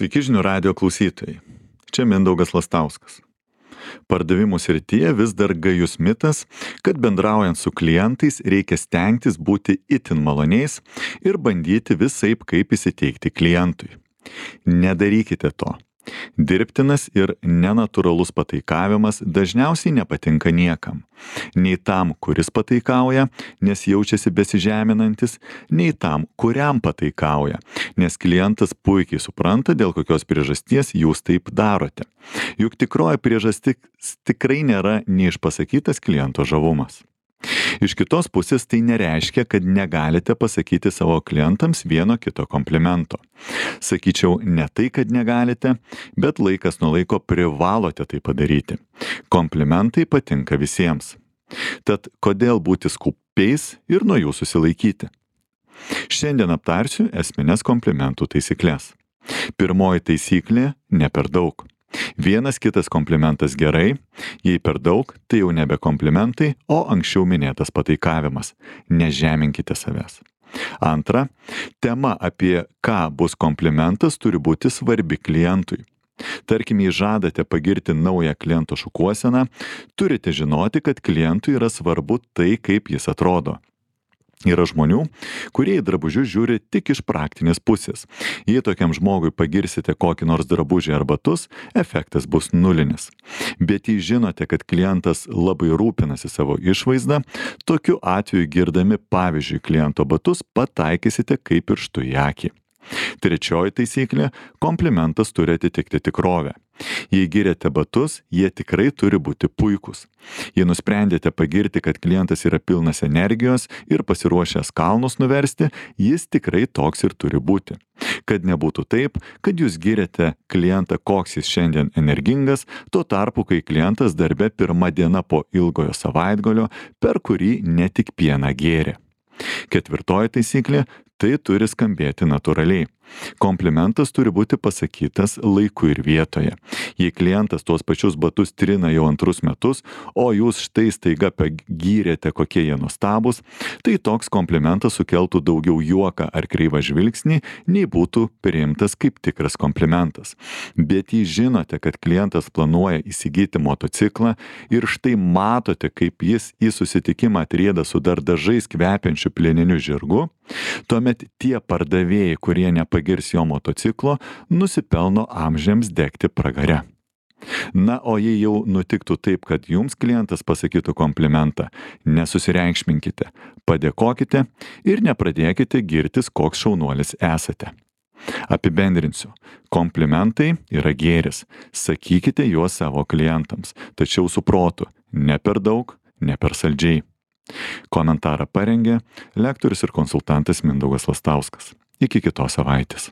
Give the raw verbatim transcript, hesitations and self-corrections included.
Sveiki žinių radijo klausytojai. Čia Mindaugas Lastauskas. Pardavimų srityje vis dar gajus mitas, kad bendraujant su klientais reikia stengtis būti itin maloniais ir bandyti visaip kaip įsiteikti klientui. Nedarykite to. Dirbtinas ir nenatūralus pataikavimas dažniausiai nepatinka niekam. Nei tam, kuris pataikauja, nes jaučiasi besižeminantis, nei tam, kuriam pataikauja, nes klientas puikiai supranta, dėl kokios priežasties jūs taip darote. Juk tikroji priežastis tikrai nėra neišpasakytas kliento žavumas. Iš kitos pusės tai nereiškia, kad negalite pasakyti savo klientams vieno kito komplimento. Sakyčiau, ne tai, kad negalite, bet laikas nuo laiko privalote tai padaryti. Komplimentai patinka visiems. Tad kodėl būti skupiais ir nuo jų susilaikyti? Šiandien aptarsiu esmines komplimentų taisyklės. Pirmoji taisyklė – ne per daug. Vienas kitas komplimentas gerai, jei per daug, tai jau nebe komplimentai, o anksčiau minėtas pataikavimas. Nežeminkite savęs. Antra, tema apie ką bus komplimentas turi būti svarbi klientui. Tarkim, jei žadate pagirti naują kliento šukuoseną, turite žinoti, kad klientui yra svarbu tai, kaip jis atrodo. Yra žmonių, kurie į drabužius žiūri tik iš praktinės pusės. Jei tokiam žmogui pagirsite kokį nors drabužį ar batus, efektas bus nulinis. Bet jei žinote, kad klientas labai rūpinasi savo išvaizdą, tokiu atveju girdami pavyzdžiui kliento batus pataikysite kaip pirštu į akį. Trečioji taisyklė – komplimentas turi atitikti tikrovę. Jei giriate batus, jie tikrai turi būti puikūs. Jei nusprendėte pagirti, kad klientas yra pilnas energijos ir pasiruošęs kalnus nuversti, jis tikrai toks ir turi būti. Kad nebūtų taip, kad jūs giriate klientą, koks jis šiandien energingas, tuo tarpu, kai klientas darbe pirma diena po ilgojo savaitgalio, per kurį ne tik pieną gėrė. Ketvirtoji taisyklė – tai turi skambėti natūraliai. Komplimentas turi būti pasakytas laiku ir vietoje. Jei klientas tuos pačius batus trina jau antrus metus, o jūs štai staiga pagyrėte, kokie jie nuostabūs, tai toks komplimentas sukeltų daugiau juoką ar kreivą žvilgsnį, nei būtų priimtas kaip tikras komplimentas. Bet jei žinote, kad klientas planuoja įsigyti motociklą ir štai matote, kaip jis į susitikimą atrieda su dar dažais kvepiančiu plieniniu žirgu, tuomet tie pardavėjai, kurie nepagirs jo motociklo, nusipelno amžiams degti pragare. Na, o jei jau nutiktų taip, kad jums klientas pasakytų komplimentą, nesusireikšminkite, padėkokite ir nepradėkite girtis, koks šaunuolis esate. Apibendrinsiu. Komplimentai yra gėris. Sakykite juos savo klientams, tačiau su protu, ne per daug, ne per saldžiai. Komentarą parengė lektorius ir konsultantas Mindaugas Lastauskas. Iki kitos savaitės.